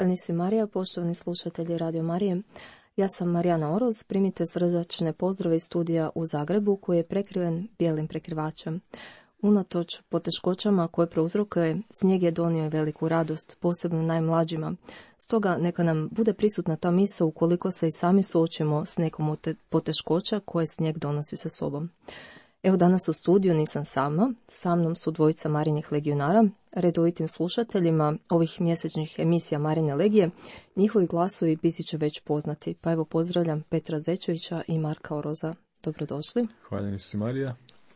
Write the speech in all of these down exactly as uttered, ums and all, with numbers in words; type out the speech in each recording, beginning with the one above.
nisi Marija, poštovani slušatelji Radio Marije. Ja sam Marijana Oroz, primite srdačne pozdrave iz studija u Zagrebu koji je prekriven bijelim prekrivačem. Unatoč poteškoćama koje prouzrokuje, snijeg je donio veliku radost, posebno najmlađima. Stoga neka nam bude prisutna ta misao ukoliko se i sami suočimo s nekom od poteškoća koje snijeg donosi sa sobom. Evo danas u studiju nisam sama, sa mnom su dvojica Marinih legionara, redovitim slušateljima ovih mjesečnih emisija Marine legije. Njihovi glasovi biti će već poznati, pa evo pozdravljam Petra Zečevića i Marka Oroza. Dobrodošli. Hvala si Marija.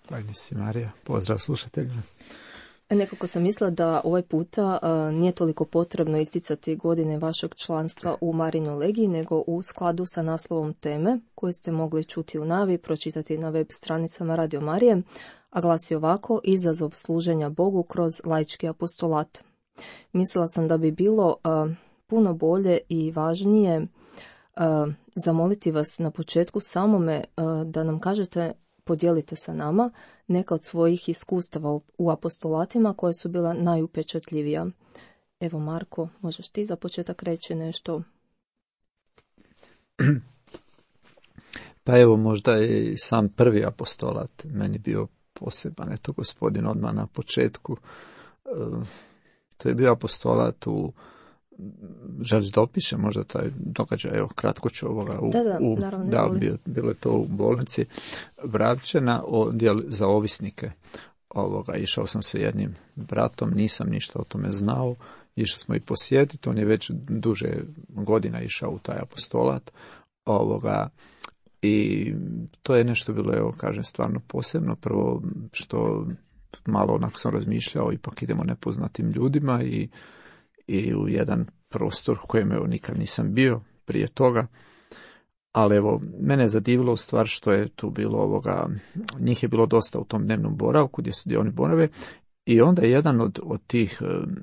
Hvala si Marija. Pozdrav slušateljima. Nekako sam mislila da ovaj puta uh, nije toliko potrebno isticati godine vašeg članstva u Marinoj legiji, nego u skladu sa naslovom teme koju ste mogli čuti u navi, pročitati na web stranicama Radio Marije, a glasi ovako: izazov služenja Bogu kroz laički apostolat. Mislila sam da bi bilo uh, puno bolje i važnije uh, zamoliti vas na početku samome uh, da nam kažete, podijelite sa nama neka od svojih iskustava u apostolatima koje su bila najupečatljivija. Evo Marko, možeš ti za početak reći nešto? Pa evo, možda je sam prvi apostolat meni bio poseban. Eto, gospodin odmah na početku. To je bio apostolat u... Želiš da opiše možda taj događaj? Evo, kratko ću ovoga. U, da, da, u, naravno. Da, bilo, bilo je to u bolnici Vrapčena, odjel za ovisnike. Ovoga, išao sam sa jednim bratom, nisam ništa o tome znao. Išli smo i posjetiti, on je već duže godina išao u taj apostolat. Ovoga, i to je nešto bilo, evo, kažem, stvarno posebno. Prvo što malo onako sam razmišljao, ipak idemo nepoznatim ljudima i i u jedan prostor u kojem evo nikad nisam bio prije toga. Ali evo, mene je zadivilo u stvar što je tu bilo ovoga, njih je bilo dosta u tom dnevnom boravku gdje su gdje oni borave i onda je jedan od, od tih um,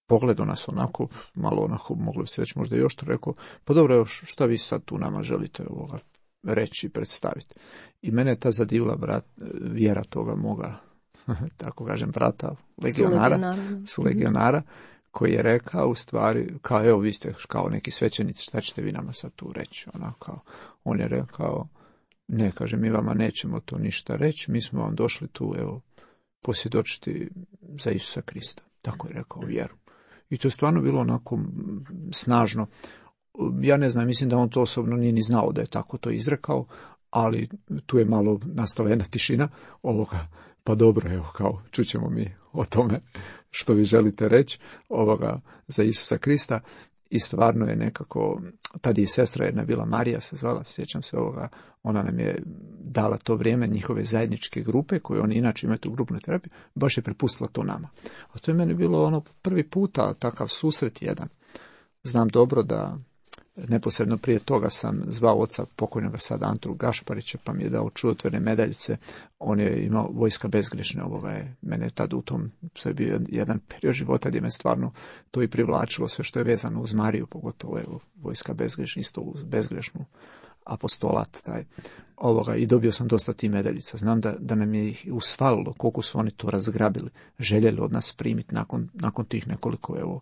pogledao nas onako, malo onako, moglo bi se reći možda još to rekao, pa dobro, evo, šta vi sad tu nama želite ovoga reći i predstaviti. I mene je ta zadivila brat, vjera toga moga, tako kažem, brata, legionara, su legionara, koji je rekao u stvari, kao evo vi ste kao neki svećenici, šta ćete vi nama sad tu reći? Ona, kao, on je rekao, ne, kaže, mi vama nećemo to ništa reći, mi smo vam došli tu, evo, posvjedočiti za Isusa Krista. Tako je rekao, vjeru. I to je stvarno bilo onako snažno. Ja ne znam, mislim da on to osobno nije ni znao da je tako to izrekao, ali tu je malo nastala jedna tišina ovoga, pa dobro, evo, kao, čućemo mi o tome što vi želite reći ovoga za Isusa Krista. I stvarno je nekako, tada i sestra jedna bila, Marija se zvala, sjećam se ovoga, ona nam je dala to vrijeme njihove zajedničke grupe, koje oni inače imaju tu grupnu terapiju, baš je prepustila to nama. A to je meni bilo ono prvi puta takav susret jedan. Znam dobro da neposredno prije toga sam zvao oca pokojnoga sada Antru Gašparića, pa mi je dao čudotvorne medaljice. On je imao Vojska bezgrešne, ovoga je, mene tad u tom, to je bio jedan period života gdje me stvarno to i privlačilo, sve što je vezano uz Mariju, pogotovo evo, Vojska bezgrešna, isto uz bezgrešnu apostolat taj, ovoga, i dobio sam dosta tih medaljica. Znam da, da nam je ih usvalilo koliko su oni to razgrabili, željeli od nas primiti nakon, nakon tih nekoliko evo,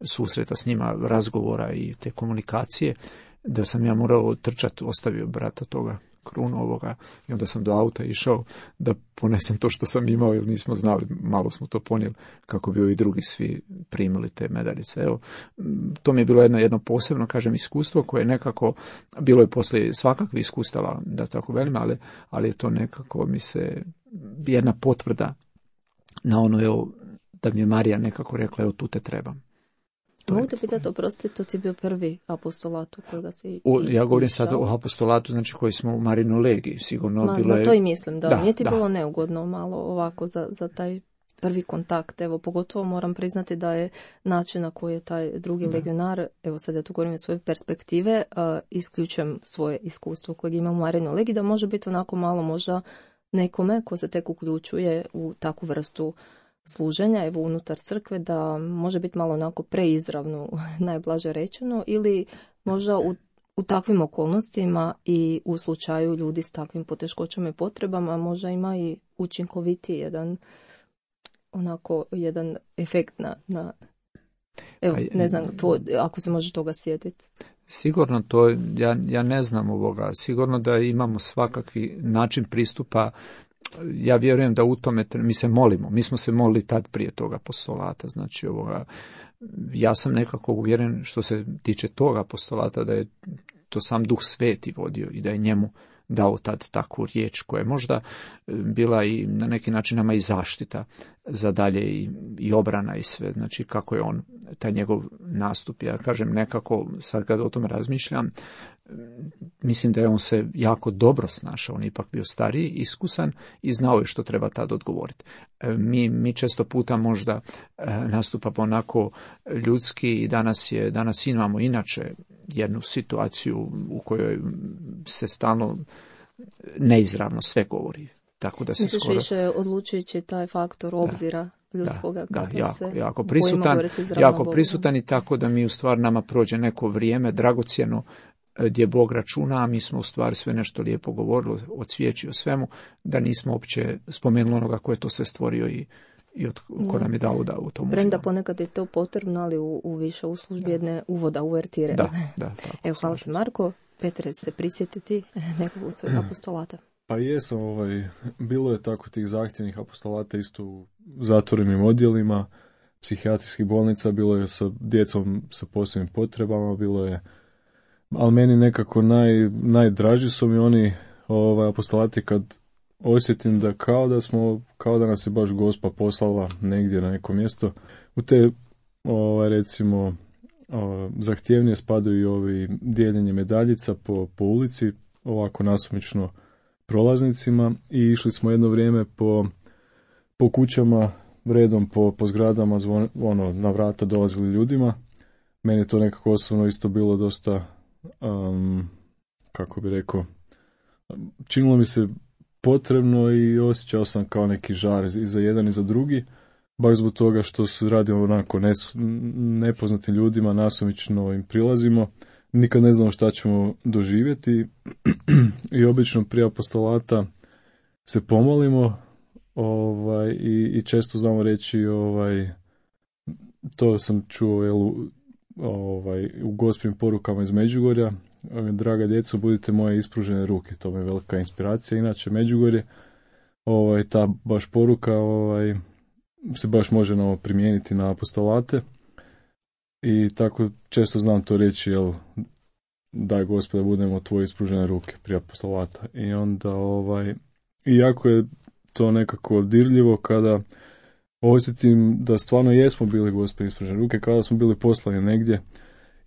susreta s njima, razgovora i te komunikacije, da sam ja morao trčati, ostavio brata toga krunu ovoga i onda sam do auta išao da ponesem to što sam imao, jer nismo znali, malo smo to ponijeli kako bi ovi drugi svi primili te medaljice. Evo, to mi je bilo jedno, jedno posebno, kažem, iskustvo koje nekako, bilo je poslije svakakvih iskustava, da tako velim, ali, ali je to nekako mi se jedna potvrda na ono, evo, da mi je Marija nekako rekla, evo, tu te trebam. Mogu te pitati, oprosti, to ti je bio prvi apostolat u kojega si... O, ja govorim sad o apostolatu, znači koji smo u Marinoj legiji, sigurno Ma, bilo je... No to i mislim, da, da nije ti da. bilo neugodno malo ovako za, za taj prvi kontakt, evo, pogotovo moram priznati da je način na koji je taj drugi da. legionar, evo sad ja tu govorim iz svoje perspektive, uh, isključujem svoje iskustvo kojeg imam u Marinoj legiji, da može biti onako malo možda nekome ko se tek uključuje u takvu vrstu služenja, evo, unutar crkve, da može biti malo onako preizravno, najblaže rečeno, ili možda u, u takvim okolnostima i u slučaju ljudi s takvim poteškoćama i potrebama možda ima i učinkoviti jedan onako jedan efekt na, na Evo, ne znam, tvoj, ako se može toga sjetiti. Sigurno to, ja, ja ne znam ovoga, sigurno da imamo svakakvi način pristupa. Ja vjerujem da u tome, mi se molimo, mi smo se molili tad prije toga apostolata, znači ovoga, ja sam nekako uvjeren što se tiče toga apostolata da je to sam Duh Sveti vodio i da je njemu dao tad takvu riječ koja je možda bila i na neki način nama i zaštita za dalje i, i obrana i sve, znači kako je on, taj njegov nastup, ja kažem nekako, sad kad o tome razmišljam, mislim da je on se jako dobro snašao, on je ipak bio stariji, iskusan i znao je što treba tad odgovoriti. Mi, mi često puta možda nastupamo onako ljudski i danas, je, danas imamo inače jednu situaciju u kojoj se stalno neizravno sve govori. Tako da se Misliš skoro... više odlučujući taj faktor obzira ljudskoga da, kada da, jako, se jako prisutan, jako prisutan i tako da mi u stvari nama prođe neko vrijeme dragocjeno gdje Bog računa, a mi smo u stvari sve nešto lijepo govorili o cvijeći, o svemu, da nismo uopće spomenuli onoga ko je to sve stvorio i, i od, ko nam je dao da u tom. Premda ponekad je to potrebno, ali u, u više u službi jedne uvoda, uvertire. Da, da. Tako, evo, hvala ti Marko. Petre, se prisjetio ti nekog od svojih apostolata? Pa jesam, ovaj, bilo je tako tih zahtjevnih apostolata isto u zatvorenim odjelima, psihijatrijskih bolnica, bilo je sa djecom sa posebnim potrebama, bilo je, ali meni nekako naj, najdraži su mi oni ovaj, apostolati kad osjetim da kao da smo, kao da nas je baš Gospa poslala negdje na neko mjesto. U te, ovaj, recimo, ovaj, zahtjevnije spadaju i ovi dijeljenje medaljica po, po ulici, ovako nasumično prolaznicima, i išli smo jedno vrijeme po, po kućama, redom po, po zgradama, zvon, ono, na vrata dolazili ljudima. Meni je to nekako osobno isto bilo dosta, um, kako bi rekao, činilo mi se potrebno i osjećao sam kao neki žar i za jedan i za drugi, baš zbog toga što se radi onako nes, nepoznatim ljudima, nasumično im prilazimo, nikad ne znamo šta ćemo doživjeti i obično prije apostolata se pomolimo ovaj, i, i često znamo reći, ovaj, to sam čuo jel, ovaj, u gospim porukama iz Međugorja, draga djeco, budite moje ispružene ruke, to mi je velika inspiracija. Inače, Međugorje, ovaj, ta baš poruka ovaj, se baš može no, primijeniti na apostolate i tako često znam to reći, jel, daj Gospode, budemo tvoje ispružene ruke prije apostolata. I onda, ovaj, iako je to nekako dirljivo kada osjetim da stvarno jesmo bili Gospode ispružene ruke, kada smo bili poslani negdje.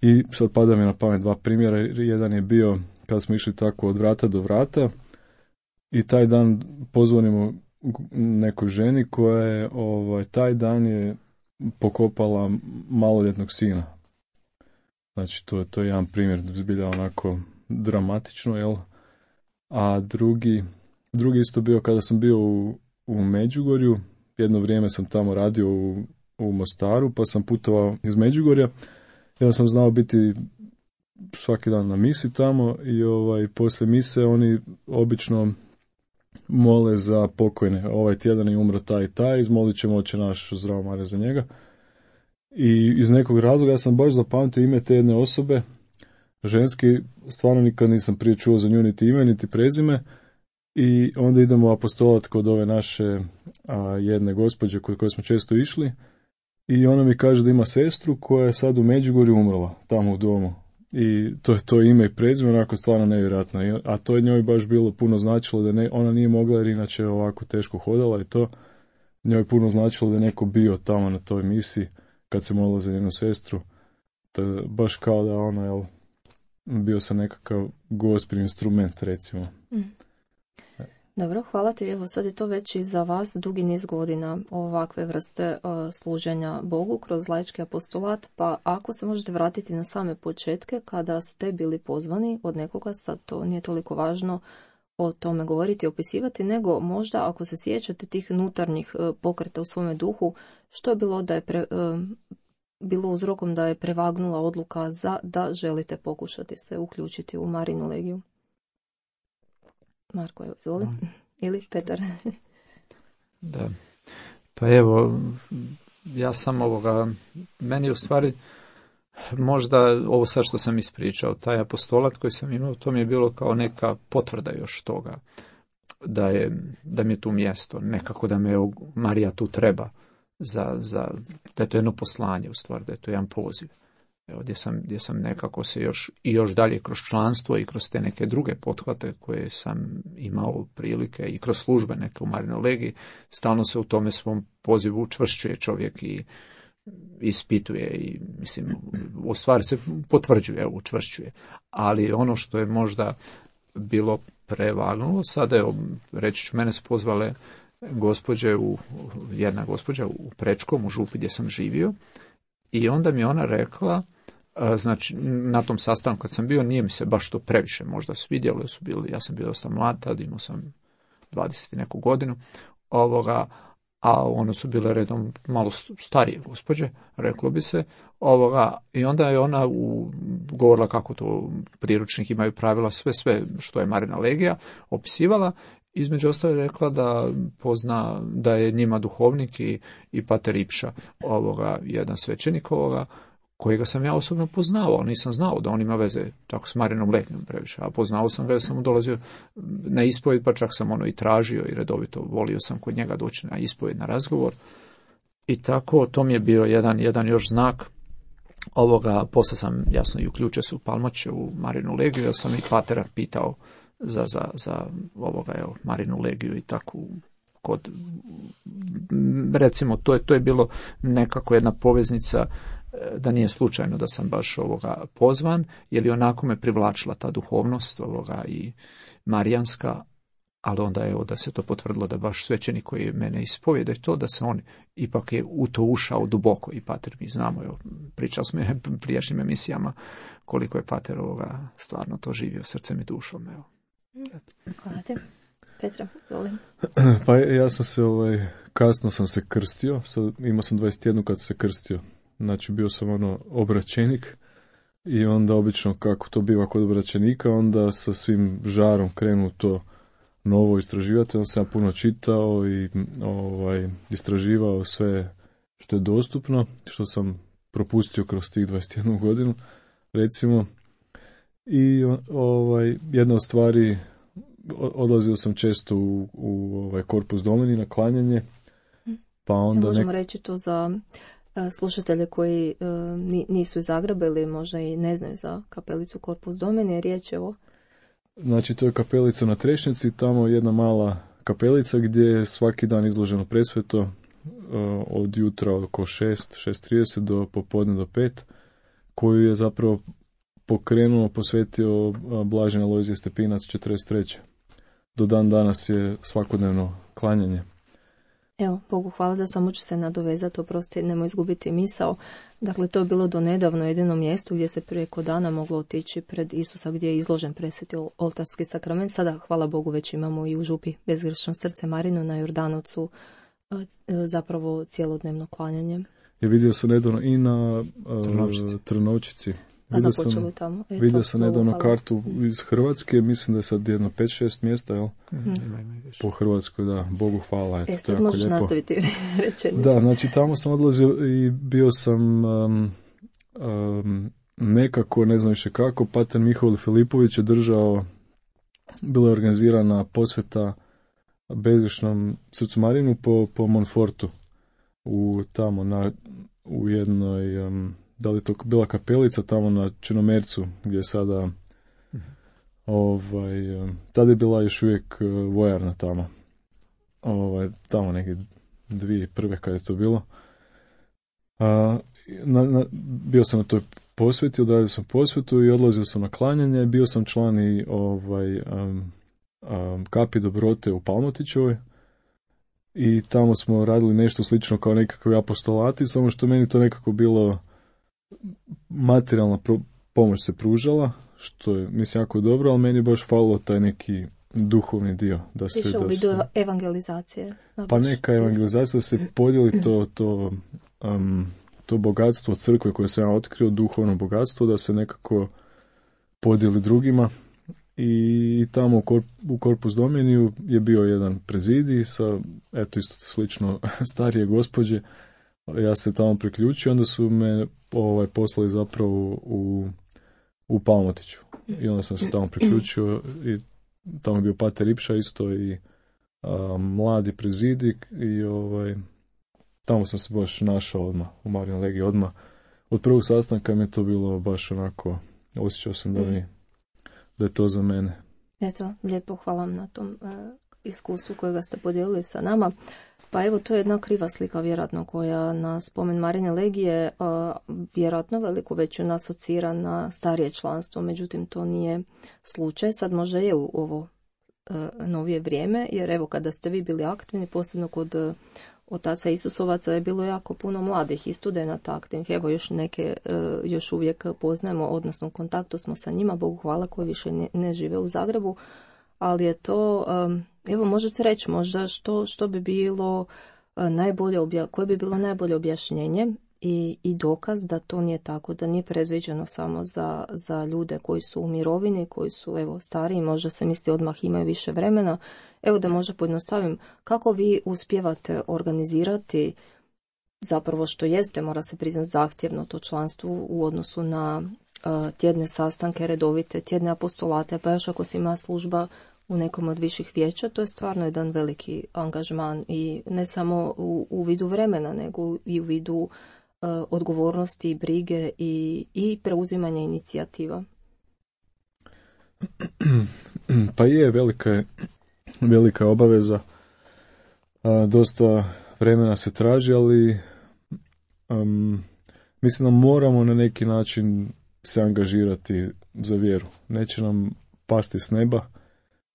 I sad pada mi na pamet dva primjera. Jedan je bio kada smo išli tako od vrata do vrata i taj dan pozvonimo nekoj ženi koja je ovaj, taj dan je pokopala maloljetnog sina. Znači to, to je jedan primjer, zbilja onako dramatično, jel? A drugi, drugi isto bio kada sam bio u, u Međugorju, jedno vrijeme sam tamo radio u, u Mostaru, pa sam putovao iz Međugorja. Ja sam znao biti svaki dan na misi tamo i ovaj, poslije mise oni obično mole za pokojne. Ovaj tjedan je umro taj i taj, izmolit ćemo Oče naš, zdravo Marija za njega. I iz nekog razloga ja sam baš zapamtio ime te jedne osobe, ženski, stvarno nikad nisam prije čuo za nju niti ime, niti prezime. I onda idemo apostolat kod ove naše a, jedne gospođe kod koje smo često išli. I ona mi kaže da ima sestru koja je sad u Međugorju umrla, tamo u domu. I to je to ime i prezime, onako stvarno nevjerojatno. A to je njoj baš bilo puno značilo da ne, ona nije mogla jer inače ovako teško hodala i to. Njoj puno značilo da je neko bio tamo na toj misiji kad se molila za njenu sestru. Da, baš kao da ona, jel, bio sam nekakav gospin instrument, recimo. Mm. Dobro, hvala ti. Evo sad je to već i za vas dugi niz godina ovakve vrste uh, služenja Bogu kroz laički apostolat, pa ako se možete vratiti na same početke kada ste bili pozvani od nekoga, sad to nije toliko važno o tome govoriti, opisivati, nego možda ako se sjećate tih unutarnjih uh, pokreta u svome duhu, što je bilo da je pre, uh, bilo uzrokom da je prevagnula odluka za da želite pokušati se uključiti u Marinu legiju? Marko, evo, izvoli. No. Ili Petar. Da. Pa evo, ja sam ovoga, meni u stvari možda ovo sad što sam ispričao, taj apostolat koji sam imao, to mi je bilo kao neka potvrda još toga, da, je, da mi je tu mjesto, nekako da me Marija tu treba, za, za, da je to jedno poslanje u stvari, da je to jedan poziv. Evo, gdje sam, gdje sam nekako se još i još dalje kroz članstvo i kroz te neke druge pothvate koje sam imao prilike i kroz službe neke u Marinoj legiji, stalno se u tome svom pozivu učvršćuje čovjek i ispituje i mislim u stvari se potvrđuje, učvršćuje. Ali ono što je možda bilo prevagnulo, sada je, reći ću, mene su pozvale gospođe u, jedna gospođa u Prečkom, u Župi gdje sam živio, i onda mi ona rekla, znači na tom sastanku kad sam bio, nije mi se baš to previše možda svidjelo, su bili, ja sam bio dosta mlad, tad imao sam dvadeset i neku godinu, ovoga, a one su bile redom malo starije gospođe, reklo bi se, ovoga, i onda je ona u, govorila kako to priručnik imaju pravila, sve, sve što je Marina legija, opisivala. Između ostalo je rekla da pozna, da je njima duhovnik i, i pater Ipša, ovoga, jedan svećenik ovoga, kojega sam ja osobno poznavao, nisam znao da on ima veze tako s Marinom legijom previše, a poznao sam ga jer sam mu dolazio na ispovjed, pa čak sam ono i tražio i redovito volio sam kod njega doći na ispovjed, na razgovor. I tako, to mi je bio jedan, jedan još znak ovoga. Poslije sam, jasno, i uključio se u Palmače, u Marinu legiju, jer sam i patera pitao za, za, za ovoga, evo, Marinu legiju i tako kod, recimo, to je, to je bilo nekako jedna poveznica, da nije slučajno da sam baš ovoga pozvan, jer je onako me privlačila ta duhovnost ovoga i marijanska, ali onda je da se to potvrdilo da baš svećenik koji mene ispovjeda i to da se on ipak je u to ušao duboko i pater, mi znamo, evo, pričali smo u prijašnjim emisijama koliko je pater ovoga stvarno to živio srcem i dušom. Evo. Hvala te. Petra, izvolim. Pa ja sam se, ovaj, kasno sam se krstio, sad, imao sam dvadeset jedan kad sam se krstio. Znači bio sam ono obraćenik i onda obično kako to biva kod obraćenika, onda sa svim žarom krenu to novo istraživati. Onda sam ja puno čitao i ovaj, istraživao sve što je dostupno, što sam propustio kroz tih dvadeset jednu godinu, recimo. I ovaj, jedna od stvari, odlazio sam često u, u ovaj, Corpus Domini na klanjanje, pa onda... Ja, možemo nek... reći to za slušatelje koji uh, nisu iz Zagreba ili možda i ne znaju za kapelicu Corpus Domini, riječ je o... Znači, to je kapelica na Trešnjici, tamo jedna mala kapelica gdje je svaki dan izloženo presveto uh, od jutra oko šest, šest trideset do popodne do pet, koju je zapravo pokrenuo, posvetio Blaženi Alojzije Stepinac četrdeset treće. Do dan danas je svakodnevno klanjanje. Evo, Bogu hvala, da samo ću se nadovezati, oprosti, nemoj izgubiti misao. Dakle, to je bilo do nedavno jedino mjesto gdje se preko dana moglo otići pred Isusa, gdje je izložen presveti oltarski sakrament. Sada, hvala Bogu, već imamo i u Župi Bezgrešno srce Marino na Jordanovcu zapravo cijelodnevno klanjanje. Je vidio sam nedavno i na uh, Trnovčici. A započelo tamo. Eto, vidio sam nedavno hvala. Kartu iz Hrvatske, mislim da je sad jedno pet šest mjesta, jel? Mm-hmm. Po Hrvatskoj, da, Bogu hvala. Eto, e, sad možeš lijepo nastaviti rečenicu. Da, znači tamo sam odlazio i bio sam um, um, nekako, ne znam više kako, pater Mihovil Filipović je držao, bila je organizirana posveta Bezgrešnom srcu Marinu po, po Monfortu, u, tamo na, u jednoj... Um, da li to bila kapelica tamo na Črnomercu, gdje je sada ovaj, tada je bila još uvijek vojarna tamo. Ovaj, tamo neke dvije prve kad je to bilo. A, na, na, bio sam na toj posveti, odradio sam posvetu i odlazio sam na klanjanje. Bio sam član i ovaj, um, um, kapi dobrote u Palmotićevoj. I tamo smo radili nešto slično kao nekakvi apostolati, samo što meni to nekako bilo materijalna pro- pomoć se pružala, što je, mislim, jako dobro, ali meni je baš falilo taj neki duhovni dio. Da se, Više u vidu se, evangelizacije. Pa neka evangelizacija, da se podijeli to, to, um, to bogatstvo crkve koje sam ja otkrio, duhovno bogatstvo, da se nekako podijeli drugima. I tamo u, Korp, u Corpus Dominiju je bio jedan prezidij sa, eto, isto slično starije gospođe, ja se tamo priključio, onda su me ovaj, poslali zapravo u, u Palmotiću. I onda sam se tamo priključio i tamo je bio pater Ipša isto i a, mladi prezidik i ovaj, tamo sam se baš našao odmah, u Marijinoj legiji odmah. Od prvog sastanka mi je to bilo baš onako, osjećao sam da, mi, da je to za mene. Eto, lijepo hvala vam na tom e, iskustvu kojega ste podijelili sa nama. Pa evo, to je jedna kriva slika vjerojatno koja na spomen Marijine legije e, vjerojatno veliku većinu asocira na starije članstvo, međutim to nije slučaj. Sad možda je u ovo e, novije vrijeme, jer evo kada ste vi bili aktivni, posebno kod e, otaca Isusovaca je bilo jako puno mladih i studenata aktivnih. Evo još neke e, još uvijek poznajemo, odnosno u kontaktu smo sa njima, Bogu hvala, koji više ne, ne žive u Zagrebu, ali je to, e, evo možete reći možda što, što bi bilo e, najbolje, obja, koje bi bilo najbolje objašnjenje i, i dokaz da to nije tako, da nije predviđeno samo za, za ljude koji su u mirovini, koji su evo stariji, možda se misli odmah imaju više vremena. Evo da možda pojednostavim, kako vi uspijevate organizirati zapravo što jeste, mora se priznati zahtjevno to članstvo u odnosu na uh, tjedne sastanke, redovite, tjedne apostolate, pa još ako se ima služba u nekom od viših vijeća, to je stvarno jedan veliki angažman i ne samo u, u vidu vremena, nego i u vidu uh, odgovornosti, brige i, i preuzimanja inicijativa. Pa je, velika je velika obaveza. A, dosta vremena se traži, ali um, mislim da moramo na neki način se angažirati za vjeru. Neće nam pasti s neba.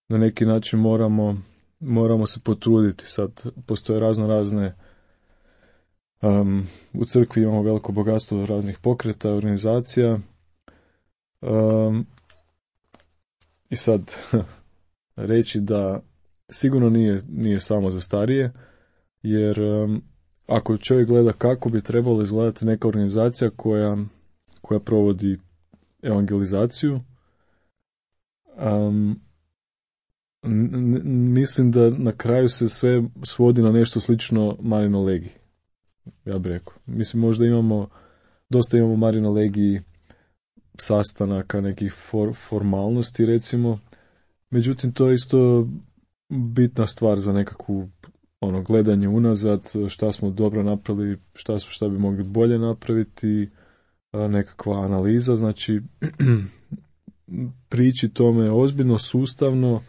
Na neki način moramo, moramo se potruditi. Sad postoje razno razne um, u crkvi imamo veliko bogatstvo raznih pokreta, organizacija. Um, I sad reći da sigurno nije, nije samo za starije, jer um, ako čovjek gleda kako bi trebalo izgledati neka organizacija koja, koja provodi evangelizaciju, um, n- n- mislim da na kraju se sve svodi na nešto slično Marijinoj legiji. Ja bih rekao. Mislim, možda imamo, dosta imamo u Marijinoj legiji sastanaka, nekih for, formalnosti recimo, međutim to je isto bitna stvar za nekakvu ono gledanje unazad, šta smo dobro napravili, šta, šta bi mogli bolje napraviti, nekakva analiza, znači prići tome ozbiljno, sustavno,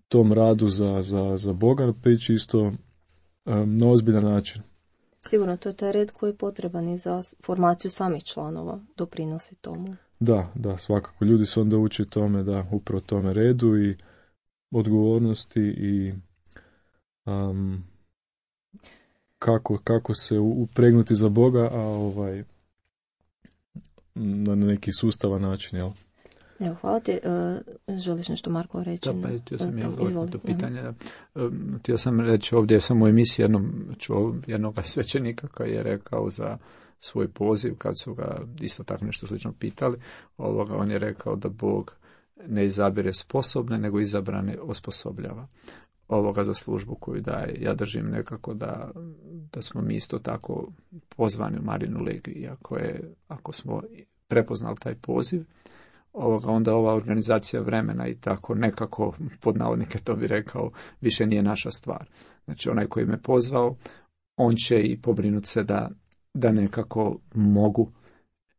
tom radu za, za, za Boga, prići isto um, na ozbiljan način. Sigurno, to je taj red koji je potreban i za formaciju samih članova, doprinosi tomu. Da, da, svakako. Ljudi se onda uče tome, da, upravo tome redu i odgovornosti i um, kako, kako se upregnuti za Boga, a ovaj na neki sustavan način, jel? Evo, hvala ti. Uh, želiš nešto, Marko, reći? Da, pa htio sam ja odgovoriti to pitanje. Um, htio sam reći ovdje sam u emisiji jednom čuo jednog svećenika koji je rekao za svoj poziv, kad su ga isto tako nešto slično pitali, ovoga, on je rekao da Bog ne izabire sposobne, nego izabrane osposobljava ovoga za službu koju daje. Ja držim nekako da, da smo mi isto tako pozvani u Marijinu legiju, ako, je, ako smo prepoznali taj poziv, ovoga, onda ova organizacija vremena i tako nekako, pod navodnike to bi rekao, više nije naša stvar. Znači onaj koji me pozvao, on će i pobrinuti se da da nekako mogu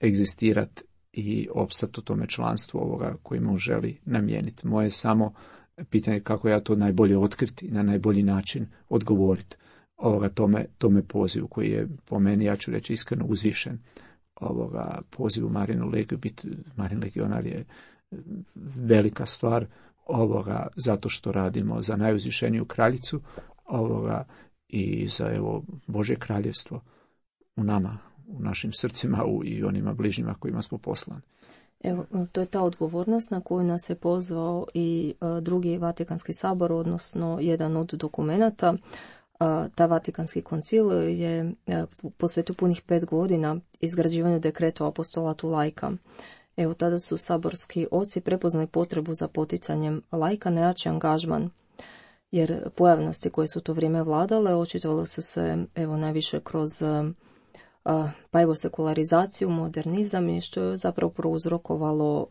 egzistirati i opstati u tome članstvu ovoga kojima on želi namijeniti. Moje je samo pitanje kako ja to najbolje otkriti i na najbolji način odgovoriti ovoga tome, tome pozivu koji je po meni, ja ću reći iskreno, uzvišen. Ovoga pozivu Marijinu legiju, biti Marijin legionar je velika stvar ovoga zato što radimo za najuzvišeniju kraljicu ovoga i za evo Božje kraljevstvo u nama, u našim srcima u, i onima bližnjima kojima smo poslani. Evo, to je ta odgovornost na koju nas je pozvao i uh, drugi Vatikanski sabor, odnosno jedan od dokumenata. Uh, ta Vatikanski koncil je uh, posvetio punih pet godina izgrađivanju dekreta o apostolatu laika. Evo, tada su saborski oci prepoznali potrebu za poticanjem laika na jači angažman, jer pojavnosti koje su to vrijeme vladale očitovale su se evo najviše kroz uh, pa evo sekularizaciju, modernizam i što je zapravo prouzrokovalo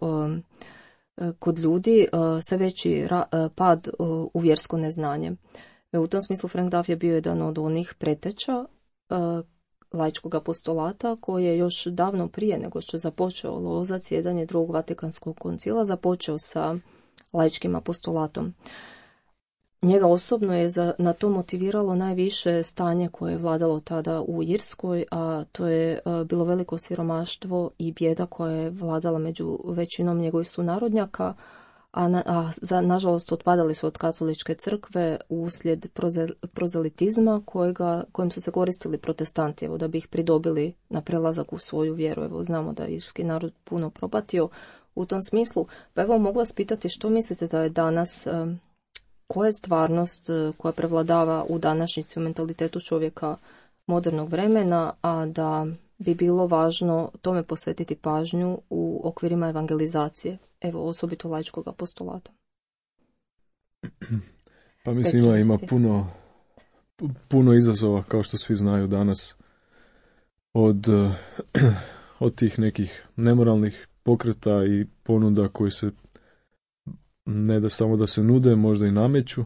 kod ljudi sve veći pad u vjersko neznanje. U tom smislu Frank Duff je bio jedan od onih preteča laičkog apostolata koji je još davno prije nego što je započeo lozac jedanje drugog Vatikanskog koncila započeo sa laičkim apostolatom. Njega osobno je za, na to motiviralo najviše stanje koje je vladalo tada u Irskoj, a to je a, bilo veliko siromaštvo i bijeda koja je vladala među većinom njegovih sunarodnjaka, a, na, a za, nažalost otpadali su od katoličke crkve uslijed prozel, prozelitizma kojega, kojim su se koristili protestanti, evo, da bi ih pridobili na prelazak u svoju vjeru. Evo, znamo da je irski narod puno propatio u tom smislu. Pa evo, mogu vas pitati što mislite da je danas... A, koja je stvarnost koja prevladava u današnjici u mentalitetu čovjeka modernog vremena, a da bi bilo važno tome posvetiti pažnju u okvirima evangelizacije, evo osobito laičkog apostolata? Pa mislim ima, ima puno, puno izazova, kao što svi znaju danas, od, od tih nekih nemoralnih pokreta i ponuda koji se ne da samo da se nude, možda i nameću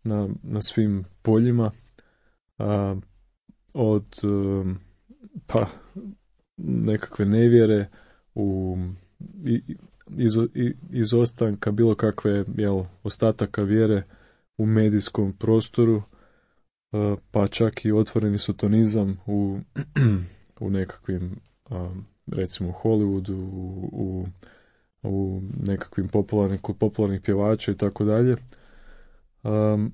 na, na svim poljima, a, od pa nekakve nevjere u iz, izostanka bilo kakve jel, ostataka vjere u medijskom prostoru, a, pa čak i otvoreni sotonizam u, u nekakvim a, recimo Hollywoodu, u, u u nekakvim popularnim, kod popularnih pjevača i tako dalje. Um,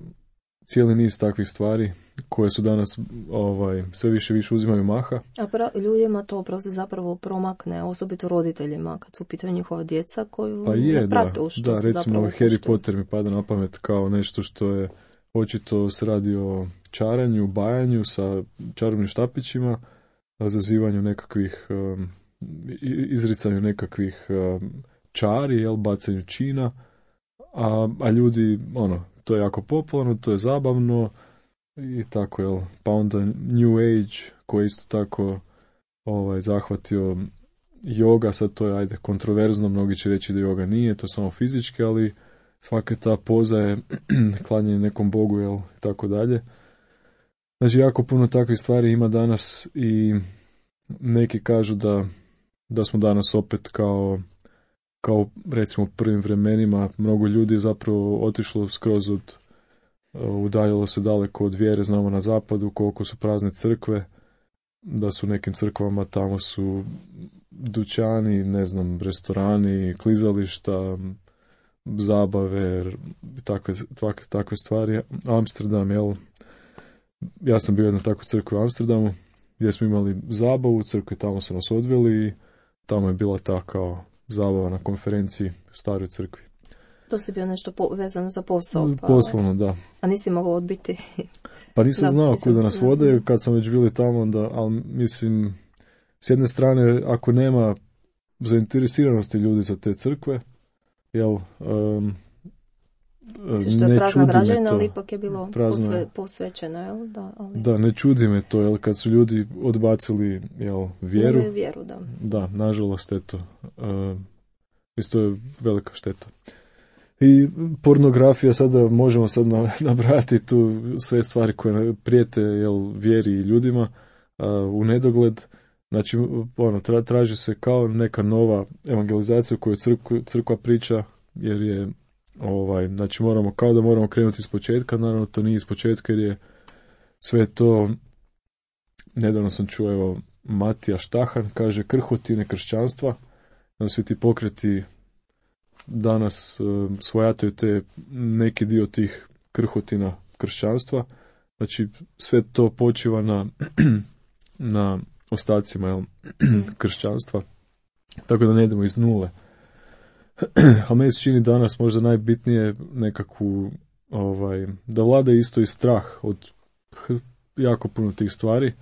cijeli niz takvih stvari koje su danas ovaj, sve više više uzimaju maha. A pra, ljudima to prosto zapravo promakne, osobito roditeljima, kad su u pitanju njihova djeca koju pa je, ne prate u što da, se recimo zapravo Harry Potter mi pada na pamet kao nešto što je očito se radi o čaranju, bajanju sa čarobnim štapićima, zazivanju nekakvih um, izricanju nekakvih um, čari, jel, bacanju čina, a, a ljudi, ono, to je jako popularno, to je zabavno i tako, jel, pa onda New Age koji isto tako ovaj, zahvatio yoga, sad to je, ajde, kontroverzno, mnogi će reći da yoga nije, to samo fizički, ali svaka ta poza je klanjanje nekom bogu, jel, i tako dalje. Znači, jako puno takvih stvari ima danas i neki kažu da, da smo danas opet kao kao recimo u prvim vremenima, mnogo ljudi zapravo otišlo skroz od, udaljilo se daleko od vjere, znamo na zapadu koliko su prazne crkve, da su u nekim crkvama tamo su dućani, ne znam, restorani, klizališta, zabave, takve, takve, takve stvari. Amsterdam, jel? Ja sam bio jedna takva crkva u Amsterdamu, gdje smo imali zabavu, crkve tamo su nas odveli i tamo je bila ta kao zabava na konferenciji u staroj crkvi. To si bio nešto po, vezano za posao? Pa... Poslovno, da. A nisi mogao odbiti? Pa nisam da, znao nisam, kuda nas vode, kad sam već bili tamo, da, ali mislim, s jedne strane, ako nema zainteresiranosti ljudi za te crkve, jel, um, što je prazna građevina, to, ali ipak je bilo posve, posvećeno, jel? Da, ali... da, ne čudi me to, jel, kad su ljudi odbacili, jel, vjeru. Ne vjeru, da. Da, nažalost, eto, uh, isto je velika šteta. I pornografija, sada možemo sad nabrati tu sve stvari koje prijete, jel, vjeri i ljudima uh, u nedogled. Znači, ono, tra, traži se kao neka nova evangelizacija koju crkva, crkva priča, jer je ovaj, znači moramo, kao da moramo krenuti iz početka, naravno to nije iz početka jer je sve to, nedavno sam čuo, evo, Matija Štahan kaže krhotine kršćanstva, da svi ti pokreti danas uh, svojataju te neki dio tih krhotina kršćanstva, znači sve to počiva na, na ostacima, jel, kršćanstva, tako da ne idemo iz nule. A meni se čini danas možda najbitnije nekakvu, ovaj, da vlada isto i strah od jako puno tih stvari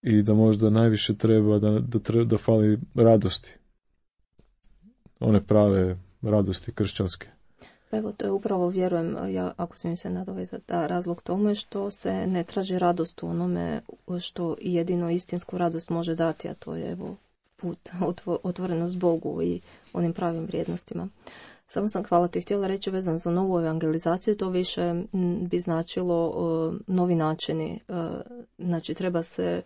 i da možda najviše treba da, da, treba, da fali radosti. One prave radosti kršćanske. Evo, to je upravo, vjerujem, ja, ako smijem se nadovezati, da razlog tome što se ne traži radost u onome što jedino istinsku radost može dati, a to je evo put, otvorenost Bogu i onim pravim vrijednostima. Samo sam, hvala ti, htjela reći vezano za novu evangelizaciju, to više bi značilo uh, novi načini. Uh, znači, treba se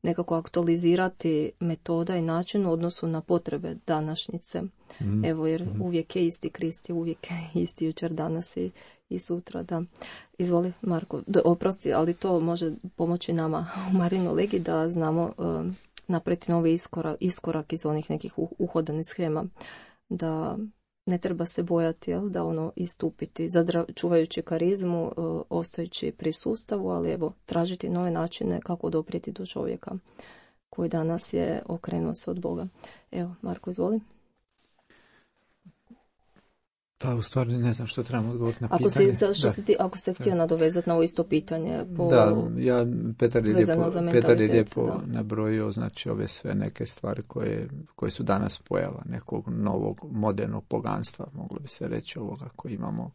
nekako aktualizirati metoda i način u odnosu na potrebe današnjice. Mm. Evo, jer mm. uvijek je isti Krist, uvijek je isti jučer, danas i, i sutra. Da. Izvoli, Marko. Do, oprosti, ali to može pomoći nama u Marinu Legi da znamo uh, napraviti novi iskorak, iskorak iz onih nekih uhodanih schema. Da ne treba se bojati, jel, da ono istupiti, zadra, čuvajući karizmu, e, ostajući pri sustavu, ali evo, tražiti nove načine kako doprijeti do čovjeka koji danas je okrenuo se od Boga. Evo, Marko, izvoli. Pa u stvari ne znam što trebamo odgovoriti na ako pitanje. Si, što si ti, ako se htio nadovezati na ovo isto pitanje. Po, da, ja, Petar je lijepo, Petar je lijepo da. nabrojio, znači ove sve neke stvari koje, koje su danas pojava nekog novog modernog poganstva, moglo bi se reći ovoga koji imamo.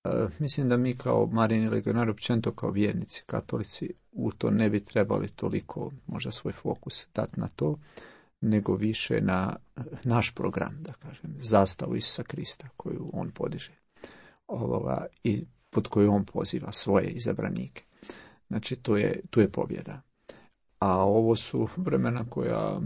E, mislim da mi kao Marini legionari, općenito kao vjernici, katolici, u to ne bi trebali toliko možda svoj fokus dati na to, nego više na naš program, da kažem, zastavu Isusa Krista koju on podiže ovoga, i pod koju on poziva svoje izabranike. Znači, to je, tu je pobjeda. A ovo su vremena koja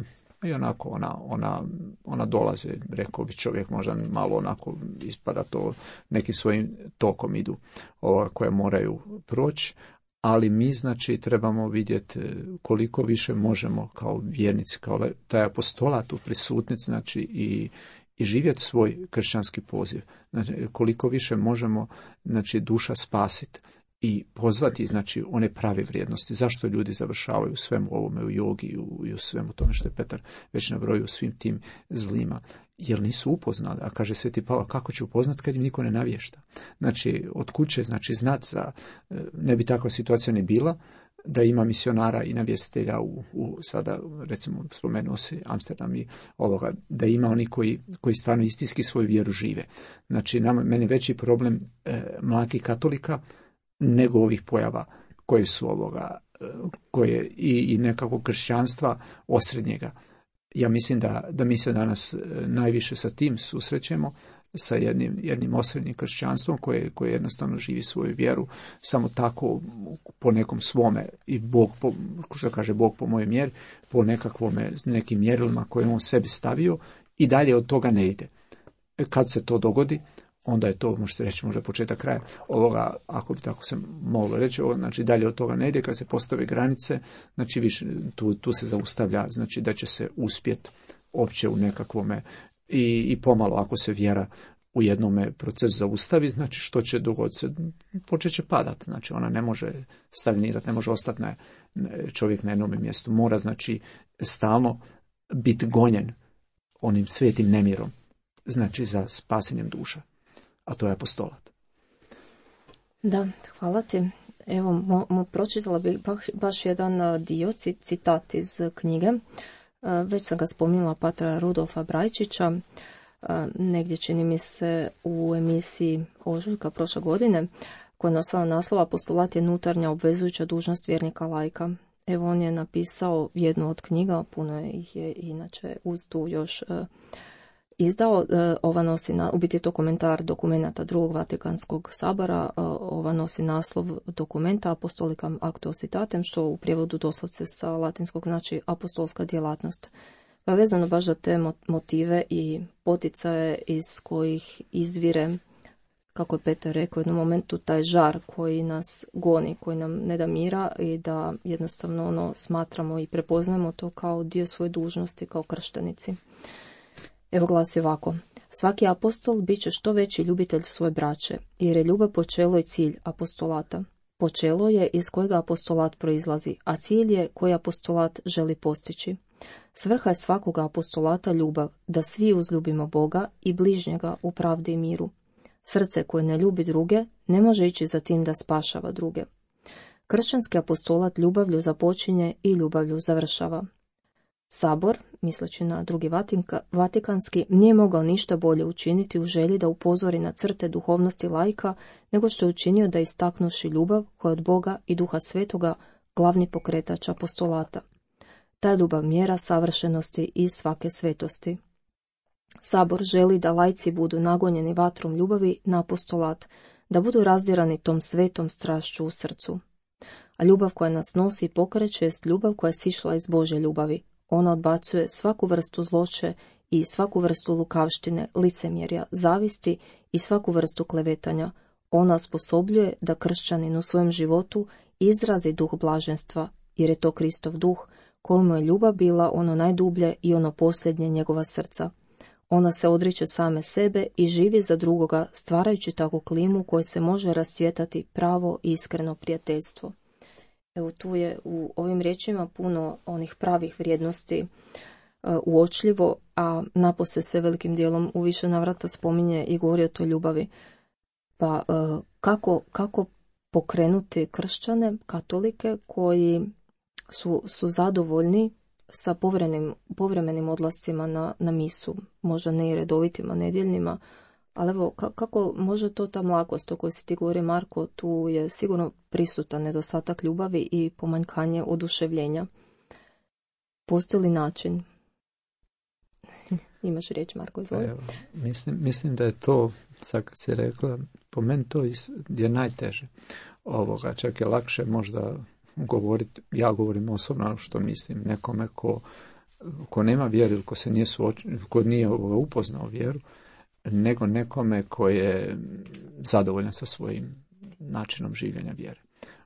i onako ona, ona, ona dolaze, rekao bi čovjek, možda malo onako ispada to, nekim svojim tokom idu, ovoga, koje moraju proći. Ali mi, znači, trebamo vidjeti koliko više možemo kao vjernici, kao taj apostolat u prisutnici, znači, i, i živjeti svoj kršćanski poziv. Znači, koliko više možemo, znači, duša spasiti i pozvati, znači, one prave vrijednosti. Zašto ljudi završavaju u svemu ovome, u jogi i u, i u svemu tome što je Petar već nabrojio, u svim tim zlima? Jer nisu upoznali, a kaže Sveti Pavao, kako će upoznati kad im niko ne navješta. Znači, od kuće, znači, znat za, ne bi takva situacija ni bila, da ima misionara i navjestitelja u, u sada, recimo, spomenuo se Amsterdam i ovoga, da ima oni koji, koji stvarno istinski svoju vjeru žive. Znači, nama, meni veći problem e, mladih katolika nego ovih pojava koje su ovoga, e, koje i, i nekako kršćanstva osrednjega. Ja mislim da, da mi se danas najviše sa tim susrećemo, sa jednim, jednim osrednjim kršćanstvom koje, koje jednostavno živi svoju vjeru, samo tako po nekom svome, i Bog, po, što kaže Bog po mojoj mjeri, po nekakvome, nekim mjerilima koje on sebi stavio i dalje od toga ne ide. Kad se to dogodi, onda je to, možete reći, možda početak kraja ovoga, ako bi tako se moglo reći, ovo, znači dalje od toga ne ide, kad se postave granice, znači više, tu, tu se zaustavlja, znači da će se uspjeti opće u nekakvome i, i pomalo ako se vjera u jednome procesu zaustavi, znači što će dogoditi se, počet će padati, znači ona ne može stagnirati, ne može ostati na, čovjek na jednom mjestu, mora znači stalno biti gonjen onim svetim nemirom, znači za spasenjem duša. A to je apostolat. Da, hvala ti. Evo, mo, mo, pročitala bih baš, baš jedan dio, citat iz knjige. Već sam ga spominjala, patra Rudolfa Brajčića, negdje čini mi se u emisiji Ožujka prošle godine, koja je nosila naslov Apostolat je unutarnja obvezujuća dužnost vjernika laika. Evo, on je napisao jednu od knjiga, puno ih je inače uz tu još izdao. Ova nosi, na, u biti je to komentar dokumenata drugog Vatikanskog sabora. Ova nosi naslov dokumenta Apostolicam Acto Citatem, što u prijevodu doslovce sa latinskog znači apostolska djelatnost. Pa vezano baš za te motive i poticaje iz kojih izvire, kako je Petar rekao u jednom momentu, taj žar koji nas goni, koji nam ne da mira i da jednostavno ono smatramo i prepoznajemo to kao dio svoje dužnosti kao krštenici. Evo glasi ovako. Svaki apostol bit će što veći ljubitelj svoje braće, jer je ljubav počelo i cilj apostolata. Počelo je iz kojega apostolat proizlazi, a cilj je koji apostolat želi postići. Svrha je svakog apostolata ljubav, da svi uzljubimo Boga i bližnjega u pravdi i miru. Srce koje ne ljubi druge ne može ići za tim da spašava druge. Kršćanski apostolat ljubavlju započinje i ljubavlju završava. Sabor, misleći na drugi Vatika, Vatikanski, nije mogao ništa bolje učiniti u želji da upozori na crte duhovnosti laika, nego što je učinio da istaknuši ljubav koja od Boga i Duha Svetoga glavni pokretač apostolata. Ta je ljubav mjera savršenosti i svake svetosti. Sabor želi da laici budu nagonjeni vatrom ljubavi na apostolat, da budu razdirani tom svetom strašću u srcu. A ljubav koja nas nosi i pokreće jest ljubav koja je sišla iz Božje ljubavi. Ona odbacuje svaku vrstu zloće i svaku vrstu lukavštine, licemjerja, zavisti i svaku vrstu klevetanja. Ona osposobljuje da kršćanin u svojem životu izrazi duh blaženstva, jer je to Kristov duh, kojemu je ljubav bila ono najdublje i ono posljednje njegova srca. Ona se odriče same sebe i živi za drugoga, stvarajući takvu klimu u kojoj se može rascvjetati pravo i iskreno prijateljstvo. Evo, tu je u ovim riječima puno onih pravih vrijednosti uh, uočljivo, a napose se velikim dijelom u više navrata spominje i govori o toj ljubavi. Pa uh, kako, kako pokrenuti kršćane, katolike, koji su, su zadovoljni sa povremenim, povremenim odlascima na, na misu, možda ne i redovitima, nedjeljnima, ali evo, kako može to ta mlakost o kojoj si ti govori, Marko, tu je sigurno prisutan nedostatak ljubavi i pomanjkanje oduševljenja. Postoji li način? Imaš riječ, Marko, izvoli. Evo, mislim, mislim da je to, sad kad si rekla, po meni to je najteže. Ovoga, čak je lakše možda govoriti, ja govorim osobno što mislim, nekome ko, ko nema vjeru ili ko se nije, suoč, ko nije upoznao vjeru, nego nekome ko je zadovoljan sa svojim načinom življenja vjere.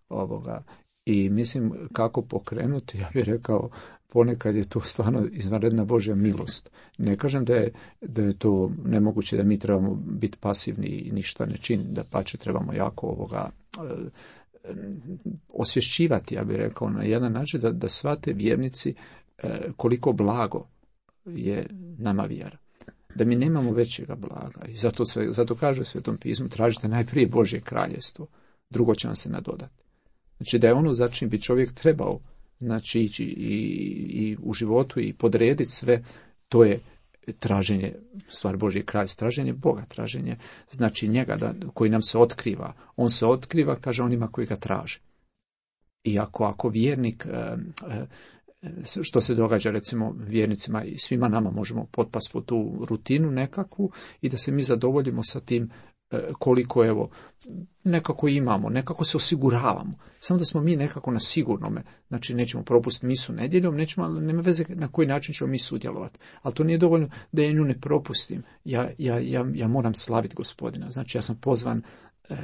Ovoga. I mislim kako pokrenuti, ja bih rekao, ponekad je to stvarno izvanredna Božja milost. Ne kažem da je, da je to nemoguće, da mi trebamo biti pasivni i ništa ne činiti, da pače trebamo jako ovoga e, osvješćivati, ja bih rekao, na jedan način da, da shvate vjernici e, koliko blago je nama vjera. Da mi nemamo većega blaga. I zato, sve, zato kaže u Svetom pismu, tražite najprije Božje kraljevstvo, drugo će vam se nadodati. Znači da je ono za čim bi čovjek trebao, znači ići i, i u životu i podrediti sve, to je traženje, stvar Božje kraljevstva, traženje Boga, traženje znači njega da, koji nam se otkriva. On se otkriva, kaže, onima koji ga traže. I ako, ako vjernik, e, e, što se događa recimo vjernicima i svima nama možemo potpasti u tu rutinu nekakvu i da se mi zadovoljimo sa tim koliko evo nekako imamo, nekako se osiguravamo. Samo da smo mi nekako na sigurnome, znači nećemo propustiti misu nedjeljom, nećemo, nema veze na koji način ćemo mi sudjelovati. Ali to nije dovoljno da ja nju ne propustim. Ja, ja, ja, ja moram slaviti Gospodina. Znači ja sam pozvan e,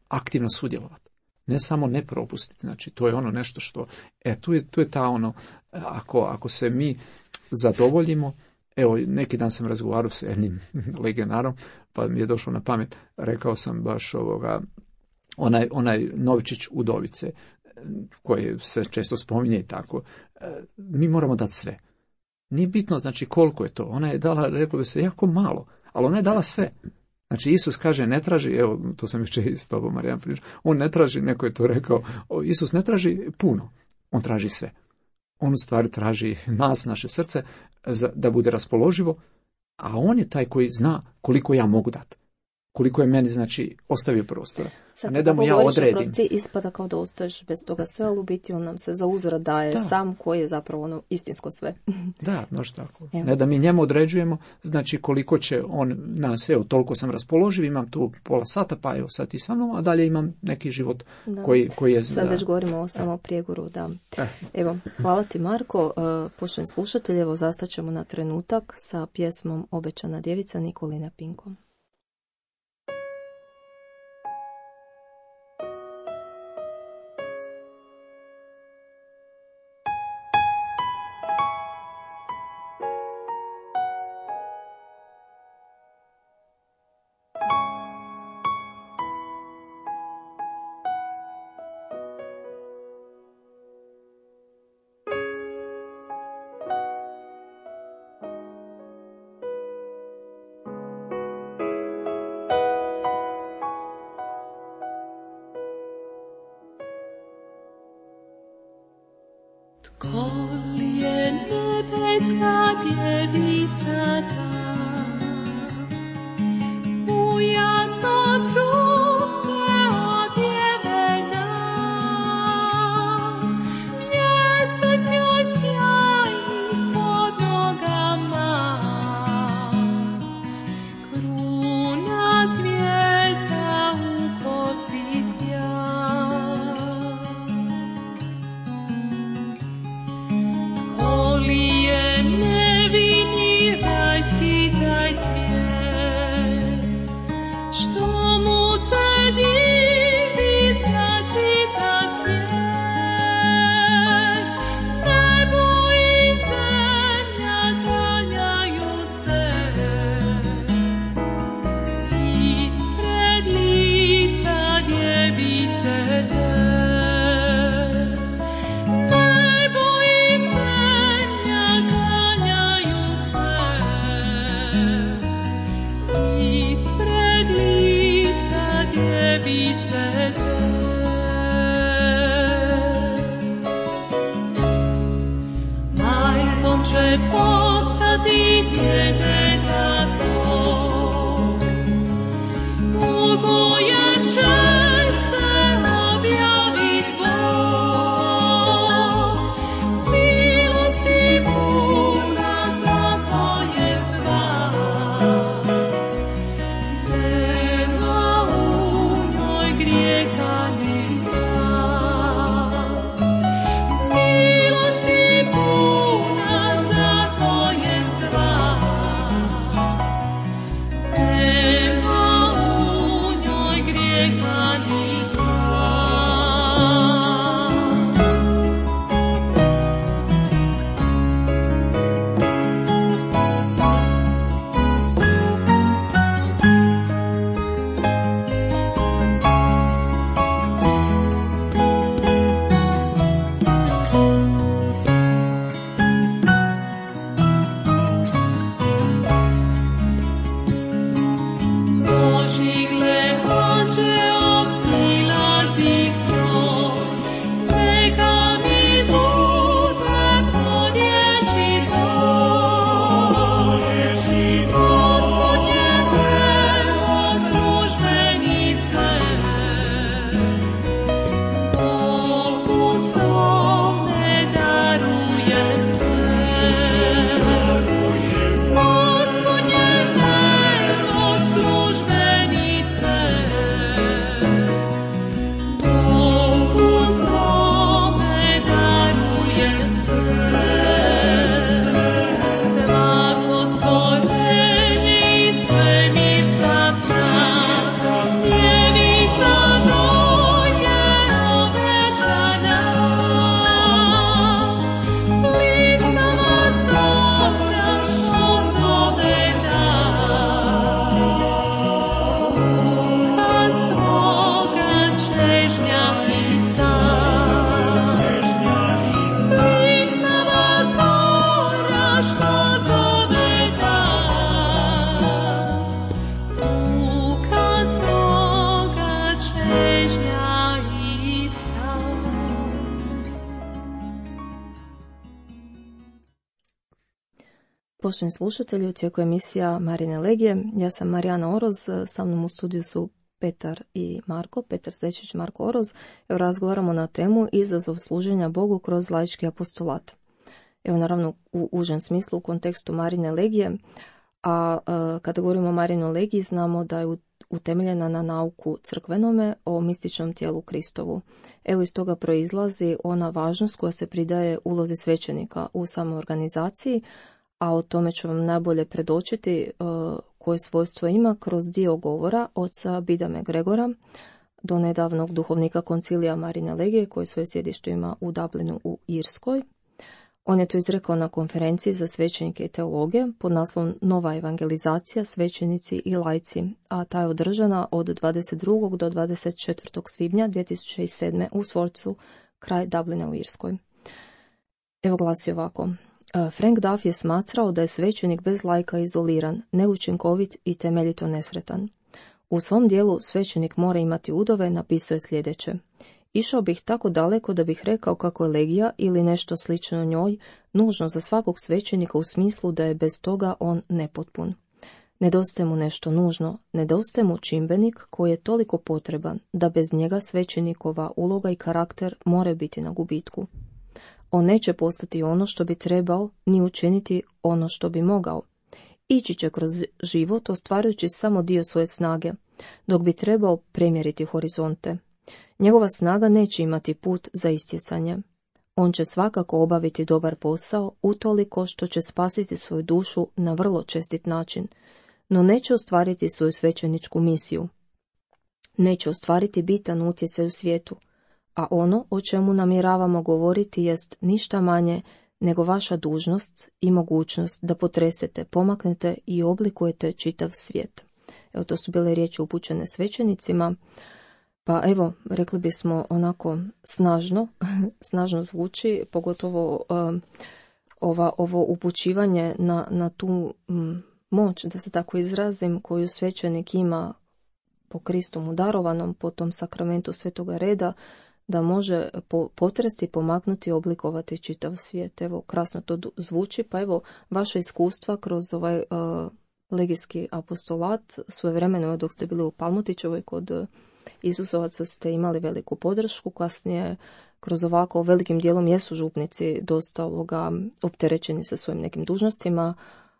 aktivno sudjelovati. Ne samo ne propustiti. Znači to je ono nešto što, e tu je, tu je ta ono, ako, ako se mi zadovoljimo. Evo, neki dan sam razgovarao s jednim legionarom, pa mi je došlo na pamet, rekao sam baš ovoga, onaj, onaj Novičić Udovice, koji se često spominje i tako, mi moramo dati sve. Nije bitno, znači, koliko je to. Ona je dala, rekao bi se, jako malo, ali ona je dala sve. Znači, Isus kaže, ne traži, evo, to sam jučer s tobom, Marijan pričao, on ne traži, neko je to rekao, Isus ne traži puno, on traži sve. On u stvari traži nas, naše srce, da bude raspoloživo, a on je taj koji zna koliko ja mogu dati. Koliko je meni, znači, ostavio prostora. Sad, a ne da mu ja odredim. Prosti, ispada kao da ostaješ bez toga sve, ali u biti on nam se za uzvrat daje da. Sam koji je zapravo ono istinsko sve. Da, noš tako. Evo. Ne da mi njemu određujemo, znači koliko će on nas, evo, toliko sam raspoloživ, imam tu pola sata, pa evo sad i sa mnom, a dalje imam neki život koji, koji je... Sad da. već govorimo o samo prijegoru, da. Eh. Evo, hvala ti, Marko. Poštovani slušatelji, evo, zastaćemo na trenutak sa pjesmom Obećana djevica Nikoline Pinkom. Tko li je nebeska djevica ta, u jasno sunce odjevena, postati djeteta tvog, u kojem će se objavit Bog. Milosti puna, zato je sva, nema u njoj grijeha ni zla. Milosti puna, zato je sva, nema u njoj grijeha ni zla. Božji gle anđeo silazi kroj, neka mi bude po riječi tvoj. Gospodnje evo službenice, Bogu svome daruje se. Gospodnje evo službenice, Bogu svome daruje se. Svako stvorenje i svemir sazna, sjevica do je obećana. Blicama zora što zove dan, duha svoga čežnja i san. Blicama zora što zove dan, duha svoga čežnja i san. Poštovani slušatelji, u tijeku emisija Marine Legije. Ja sam Marijana Oroz, sa mnom u studiju su Petar i Marko, Petar Zečić, Marko Oroz. Evo razgovaramo na temu izazov služenja Bogu kroz laički apostolat. Evo naravno u užem smislu u kontekstu Marine Legije, a e, kada govorimo o Marinoj Legiji znamo da je u- utemeljena na nauku crkvenome o mističnom tijelu Kristovu. Evo iz toga proizlazi ona važnost koja se pridaje ulozi svećenika u samoj organizaciji, a o tome ću vam najbolje predočiti e, koje svojstvo ima kroz dio govora oca Bidame Gregora, do nedavnog duhovnika koncilija Marine Legije, koji svoje sjedište ima u Dublinu u Irskoj. On je to izrekao na konferenciji za svećenike i teologe pod naslovom Nova evangelizacija, svećenici i laici, a ta je održana od dvadeset drugog do dvadeset četvrtog svibnja dvije tisuće sedme u Sworcu, kraj Dublina u Irskoj. Evo glasi ovako. Frank Duff je smatrao da je svećenik bez laika izoliran, neučinkovit i temeljito nesretan. U svom dijelu Svećenik mora imati udove napisao je sljedeće. Išao bih tako daleko da bih rekao kako je legija ili nešto slično njoj nužno za svakog svećenika u smislu da je bez toga on nepotpun. Nedostaje mu nešto nužno, nedostaje mu čimbenik koji je toliko potreban da bez njega svećenikova uloga i karakter more biti na gubitku. On neće postati ono što bi trebao, ni učiniti ono što bi mogao. Ići će kroz život ostvarujući samo dio svoje snage, dok bi trebao premjeriti horizonte. Njegova snaga neće imati put za istjecanje. On će svakako obaviti dobar posao utoliko što će spasiti svoju dušu na vrlo čestit način, no neće ostvariti svoju svećeničku misiju. Neće ostvariti bitan utjecaj u svijetu, a ono o čemu namjeravamo govoriti jest ništa manje nego vaša dužnost i mogućnost da potresete, pomaknete i oblikujete čitav svijet. Evo, to su bile riječi upućene svećenicima, pa evo, rekli bismo onako snažno, snažno zvuči, pogotovo um, ova, ovo upućivanje na, na tu um, moć, da se tako izrazim, koju svećenik ima po Kristu mu darovanom, po tom sakramentu svetoga reda, da može po, potresti, pomaknuti i oblikovati čitav svijet. Evo, krasno to zvuči, pa evo, vaše iskustva kroz ovaj uh, legijski apostolat, svojevremeno dok ste bili u Palmotićevoj kod uh, Isusovaca ste imali veliku podršku, kasnije kroz ovako velikim dijelom jesu župnici dosta ovoga opterećeni sa svojim nekim dužnostima,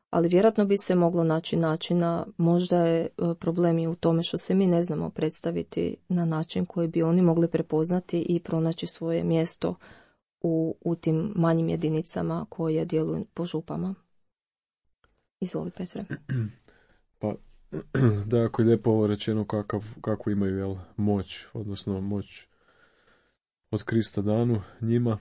ali vjerojatno bi se moglo naći načina, možda je problem i u tome što se mi ne znamo predstaviti na način koji bi oni mogli prepoznati i pronaći svoje mjesto u, u tim manjim jedinicama koje djeluju po župama. Izvoli, Petre. Pa, da, ako je lijepo ovo rečeno kakav, kakvu imaju jel, moć, odnosno moć od Krista danu njima.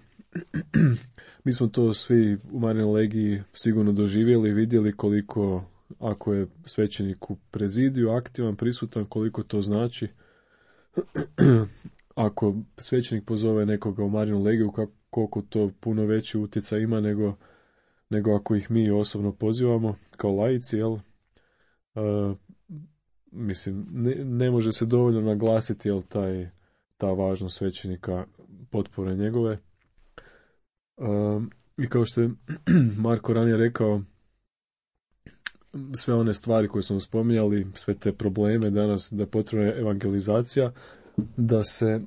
Mi smo to svi u Marijinoj legiji sigurno doživjeli i vidjeli koliko, ako je svećenik u prezidiju aktivan, prisutan, koliko to znači. Ako svećenik pozove nekoga u Marijinu legiju, koliko to puno veći utjecaj ima nego, nego ako ih mi osobno pozivamo kao laici, jel? Uh, mislim, ne, ne može se dovoljno naglasiti, jel, taj, ta važnost svećenika, potpore njegove. Um, I kao što je Marko ranije rekao, sve one stvari koje smo spominjali, sve te probleme danas, da je potrebna evangelizacija, da se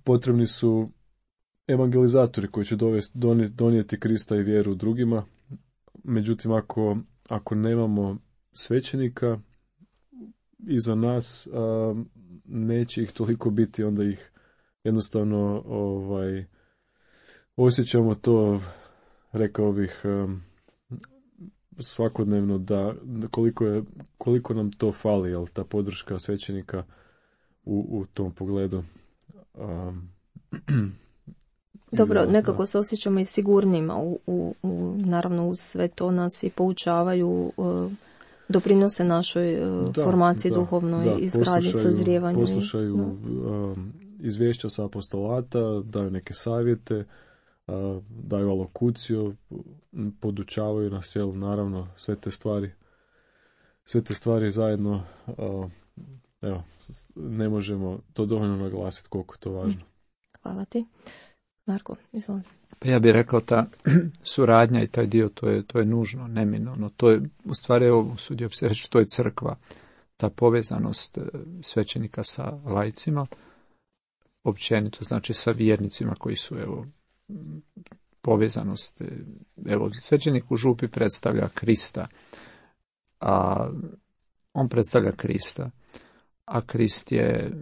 potrebni su evangelizatori koji će dovesti, donijeti Krista i vjeru drugima. Međutim, ako, ako nemamo svećenika iza nas, a, neće ih toliko biti, onda ih jednostavno ovaj, osjećamo to, rekao bih, svakodnevno da koliko, je, koliko nam to fali, jel, ta podrška svećenika u, u tom pogledu. Um, Dobro, nekako se osjećamo i sigurnima, u, u, u, naravno uz sve to nas i poučavaju, uh, doprinose našoj uh, da, formaciji da, duhovnoj, da, izgradnji, sazrijevanju. Poslušaju um, izvješća sa apostolata, daju neke savjete, uh, daju alokuciju, podučavaju nas, jel, naravno, sve te stvari, sve te stvari zajedno, uh, evo, ne možemo to dovoljno naglasiti koliko je to važno. Hvala ti. Marko, izvoli. Pa ja bih rekao, ta suradnja i taj dio, to je, to je nužno, neminovno. To je, u stvari, evo, usudio bi se reći, to je crkva. Ta povezanost svećenika sa laicima, općenito, znači sa vjernicima koji su, evo, povezanost. Evo, svećenik u župi predstavlja Krista, a on predstavlja Krista, a Krist je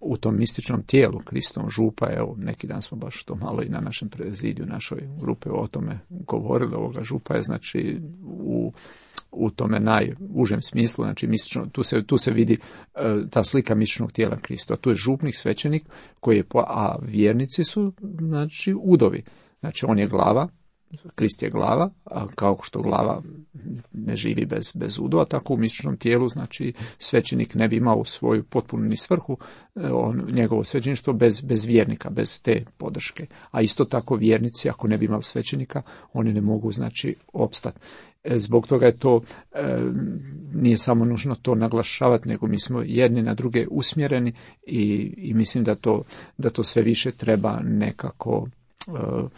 u tom mističnom tijelu, Kristom župa, evo, neki dan smo baš to malo i na našem prezidiju, našoj grupe o tome govorili, ovoga župa je, znači, u, u tome najužem smislu, znači, mistično, tu se, tu se vidi uh, ta slika mističnog tijela Krista, tu je župnik, svećenik, koji je, a vjernici su, znači, udovi, znači, on je glava, Krist je glava, a kao što glava ne živi bez, bez udova, tako u mističnom tijelu, znači, svećenik ne bi imao svoju potpunu ni svrhu, on, njegovo svećeništvo bez, bez vjernika, bez te podrške. A isto tako vjernici, ako ne bi imali svećenika, oni ne mogu, znači, opstati. Zbog toga je to, e, nije samo nužno to naglašavati, nego mi smo jedni na druge usmjereni i, i mislim da to, da to sve više treba nekako e,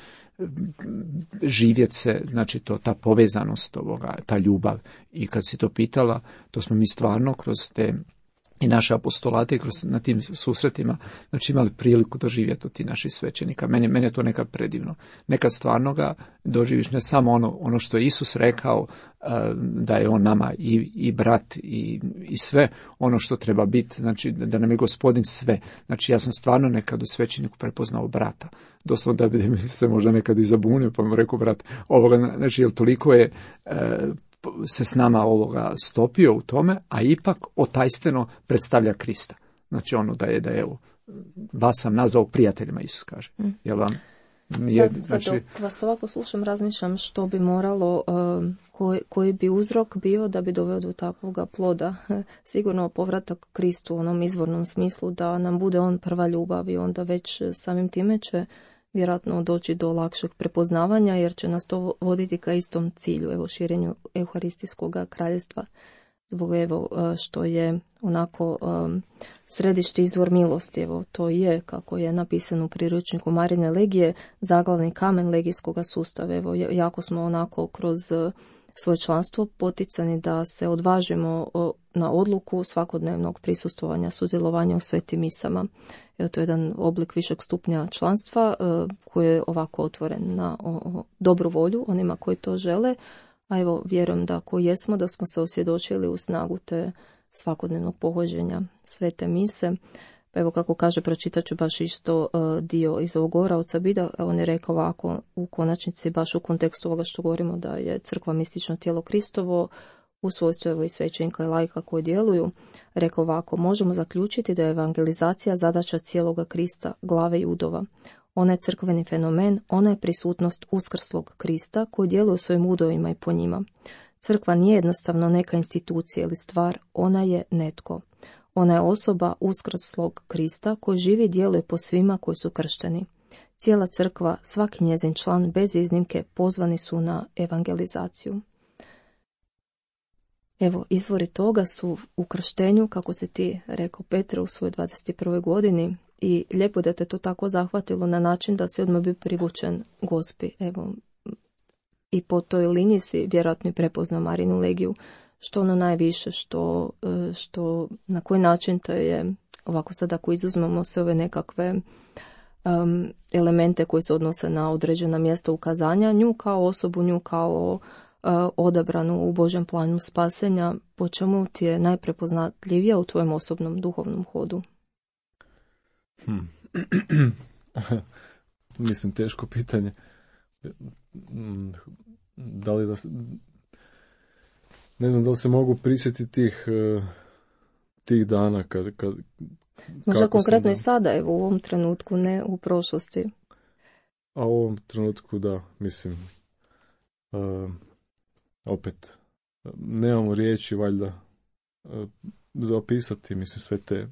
živjeti se, znači to, ta povezanost ovoga, ta ljubav. I kad si to pitala, to smo mi stvarno kroz te i naše apostolate, kroz, na tim susretima, znači imali priliku doživjeti od ti naših svećenika. Meni, meni je to nekad predivno. Nekad stvarno ga doživiš, ne samo ono, ono što je Isus rekao, uh, da je on nama i, i brat i, i sve ono što treba biti, znači da nam je Gospodin sve. Znači ja sam stvarno nekad u svećeniku prepoznao brata. Doslovno da bi se možda nekad i zabunio, pa mu rekao, brat, ovoga, znači jer toliko je uh, se s nama ovoga stopio u tome, a ipak otajstveno predstavlja Krista. Znači ono da je, da je, evo, vas sam nazvao prijateljima, Isus kaže. Mm. Jel vam? Je, da, znači... Sad dok vas ovako slušam, razmišljam što bi moralo, uh, koji, koji bi uzrok bio da bi doveo do takvoga ploda. Sigurno povratak Kristu u onom izvornom smislu, da nam bude on prva ljubav i onda već samim time će vjerojatno doći do lakšeg prepoznavanja, jer će nas to voditi ka istom cilju, evo, širenju euharistijskog kraljevstva. zbog evo što je onako um, središte izvor milosti. Evo to je, kako je napisano u priručniku Marine legije, zaglavni kamen legijskog sustava. Evo jako smo onako kroz svoje članstvo poticani da se odvažimo na odluku svakodnevnog prisustvovanja, sudjelovanja u svetim misama. Evo, to je jedan oblik višeg stupnja članstva koji je ovako otvoren na dobru volju onima koji to žele, a evo vjerujem da koji jesmo, da smo se osvjedočili u snagu te svakodnevnog pohođenja svete mise. Pa evo kako kaže, pročitat ću baš isto uh, dio iz ovog govora od Sabida. On je rekao ovako u konačnici, baš u kontekstu ovoga što govorimo, da je crkva mistično tijelo Kristovo, u svojstvu evo i svećenika i laika koji djeluju. Rekao ovako: možemo zaključiti da je evangelizacija zadaća cijeloga Krista, glave judova. Ona je crkveni fenomen, ona je prisutnost uskrslog Krista koji djeluje u svojim udovima i po njima. Crkva nije jednostavno neka institucija ili stvar, ona je netko. Ona je osoba uskrslog Krista koji živi i djeluje po svima koji su kršteni. Cijela crkva, svaki njezin član bez iznimke pozvani su na evangelizaciju. Evo, izvori toga su u krštenju, kako se ti rekao Petre u svojoj dvadeset prvoj godini, i lijepo da te to tako zahvatilo na način da si odmah bio privučen Gospi. Evo, i po toj liniji si vjerojatno i prepoznao Marinu legiju, što ono najviše, što, što na koji način to je, ovako sad ako izuzmemo sve ove nekakve um, elemente koji se odnose na određena mjesta ukazanja, nju kao osobu, nju kao uh, odabranu u Božjem planu spasenja, po čemu ti je najprepoznatljivija u tvojem osobnom duhovnom hodu? Hmm. Mislim, teško pitanje. Da li da... Ne znam da li se mogu prisjetiti tih, tih dana kad... kad možda konkretno sam, i sada, evo u ovom trenutku, ne u prošlosti. A u ovom trenutku da, mislim, uh, opet, nemamo riječi valjda uh, za opisati, mislim, sve te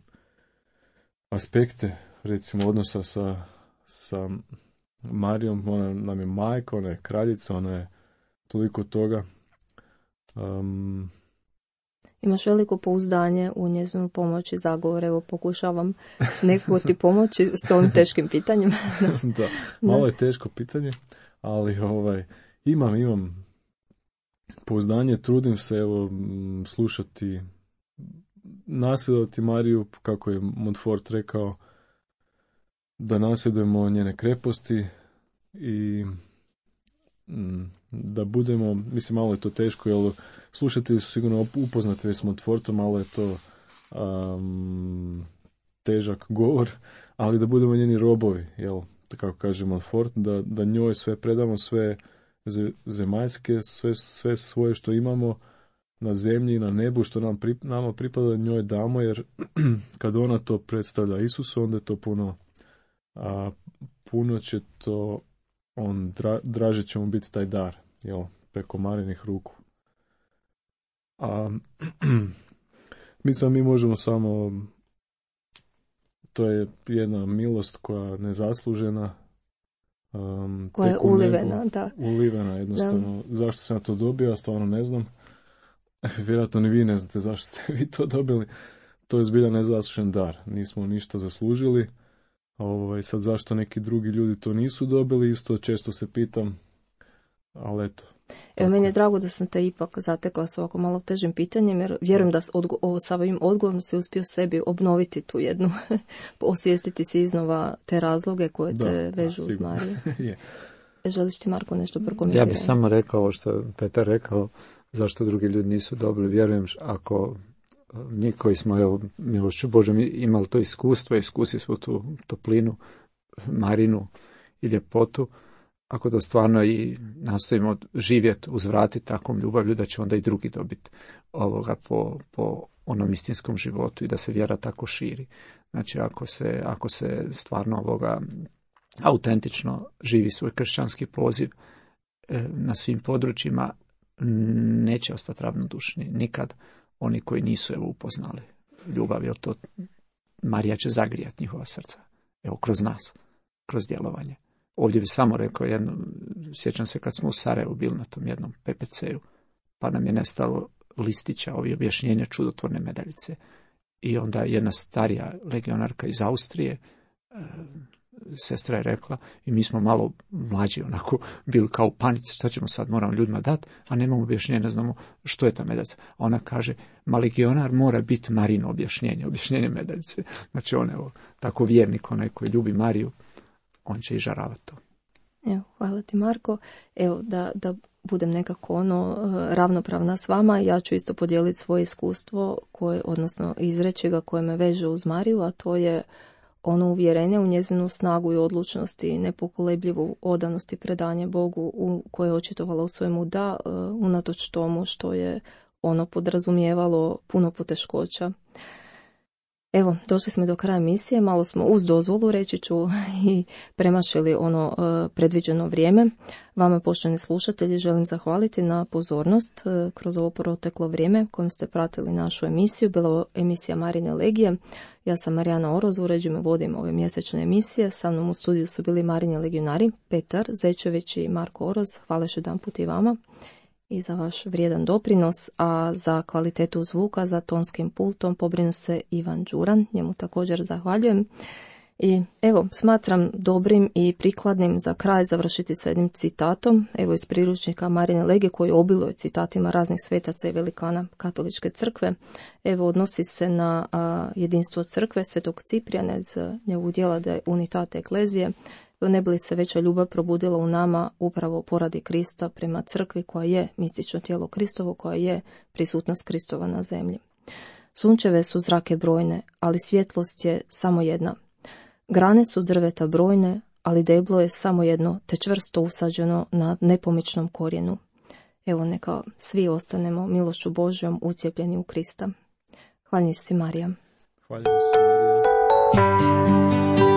aspekte, recimo, odnosa sa, sa Marijom. Ona nam je majka, ona je kraljica, ona je toliko toga. Um, Imaš veliko pouzdanje u njezinu pomoć i zagovor. Evo, pokušavam nekako ti pomoći s ovim teškim pitanjem. Da, malo je teško pitanje, ali ovaj, imam, imam pouzdanje, trudim se evo slušati, nasljedovati Mariju, kako je Montfort rekao, da nasljedujemo njene kreposti i da budemo, mislim, malo je to teško, jer slušatelji su sigurno upoznati već s Montfortom, malo je to um, težak govor, ali da budemo njeni robovi, jel, kako kaže Montfort, da, da njoj sve predamo, sve zemaljske, sve, sve svoje što imamo na zemlji i na nebu, što nam pri, nama pripada, njoj damo, jer kad ona to predstavlja Isusu, onda je to puno, a, puno će to, on dra, draže će mu biti taj dar, jel, preko Marinih ruku. A mislim, mi možemo samo, to je jedna milost koja je nezaslužena, um, koja je ulivena, da. Ulivena, jednostavno. Da. Zašto sam ja to dobio, ja stvarno ne znam. Vjerojatno ni vi ne znate zašto ste vi to dobili. To je zbilja nezaslužen dar. Nismo ništa zaslužili. Ovaj, sad zašto neki drugi ljudi to nisu dobili, isto često se pitam, ali eto. Evo, meni je drago da sam te ipak zatekla s ovako malo težim pitanjem, jer vjerujem da odgo- sa ovim odgovorom si uspio sebi obnoviti tu jednu, osvijestiti si iznova te razloge koje da, te vežu da, uz Mariju. Je. Želiš ti, Marko, nešto prokomentirati? Ja bih samo rekao ovo što Petar rekao, zašto drugi ljudi nisu dobili. Vjerujem, ako mi koji smo, evo, milošću Božom imali to iskustvo, iskusili smo tu toplinu, Marinu i ljepotu, ako da stvarno i nastojimo živjeti, uzvratiti takvom ljubavlju, da će onda i drugi dobiti ovoga po, po onom istinskom životu i da se vjera tako širi. Znači, ako se, ako se stvarno ovoga autentično živi svoj kršćanski poziv e, na svim područjima, neće ostati ravnodušni nikad oni koji nisu evo upoznali ljubav, jer to Marija će zagrijati njihova srca. Evo, kroz nas, kroz djelovanje. Ovdje bi samo rekao jedno, sjećam se kad smo u Sarajevu bili na tom jednom P P C-u, pa nam je nestalo listića, ovi objašnjenja čudotvorne medaljice. I onda jedna starija legionarka iz Austrije, sestra je rekla, i mi smo malo mlađi onako bili kao u panici, šta ćemo sad, moramo ljudima dati, a nemamo objašnjenja, ne znamo što je ta medaljica. A ona kaže, ma legionar mora biti Marino objašnjenje, objašnjenje medaljice. Znači on, evo, tako vjernik, onaj koji ljubi Mariju, on će i žaravati to. Evo, hvala ti Marko. Evo, da, da budem nekako ono ravnopravna s vama, ja ću isto podijeliti svoje iskustvo, koje, odnosno izreći ga koje me veže uz Mariju, a to je ono uvjerenje u njezinu snagu i odlučnost i nepokolebljivu odanost i predanje Bogu u koje je očitovala u svojemu da, unatoč tomu što je ono podrazumijevalo puno poteškoća. Evo, došli smo do kraja emisije, malo smo uz dozvolu, reći ću, i premašili ono e, predviđeno vrijeme. Vama, poštovani slušatelji, želim zahvaliti na pozornost e, kroz ovo proteklo vrijeme kojim ste pratili našu emisiju. Bila je emisija Marine Legije. Ja sam Marijana Oroz, uređujem i vodim ove mjesečne emisije. Sa mnom u studiju su bili Marini legionari, Petar Zečević i Marko Oroz. Hvala još jedan put i vama i za vaš vrijedan doprinos, a za kvalitetu zvuka, za tonskim pultom pobrinu se Ivan Đuran, njemu također zahvaljujem. I evo, smatram dobrim i prikladnim za kraj završiti sa jednim citatom, evo iz priručnika Marine Legije koji obiluje citatima raznih svetaca i velikana katoličke crkve. Evo, odnosi se na a, jedinstvo crkve svetog Ciprijana iz njegovog djela De Unitate Ecclesiae. Ne bi li se veća ljubav probudila u nama upravo poradi Krista prema crkvi koja je mistično tijelo Kristovo, koja je prisutnost Kristova na zemlji. Sunčeve su zrake brojne, ali svjetlost je samo jedna. Grane su drveta brojne, ali deblo je samo jedno, te čvrsto usađeno na nepomičnom korijenu. Evo, neka svi ostanemo milošću Božjom ucijepljeni u Krista. Hvala si Marija. Hvala si Marija.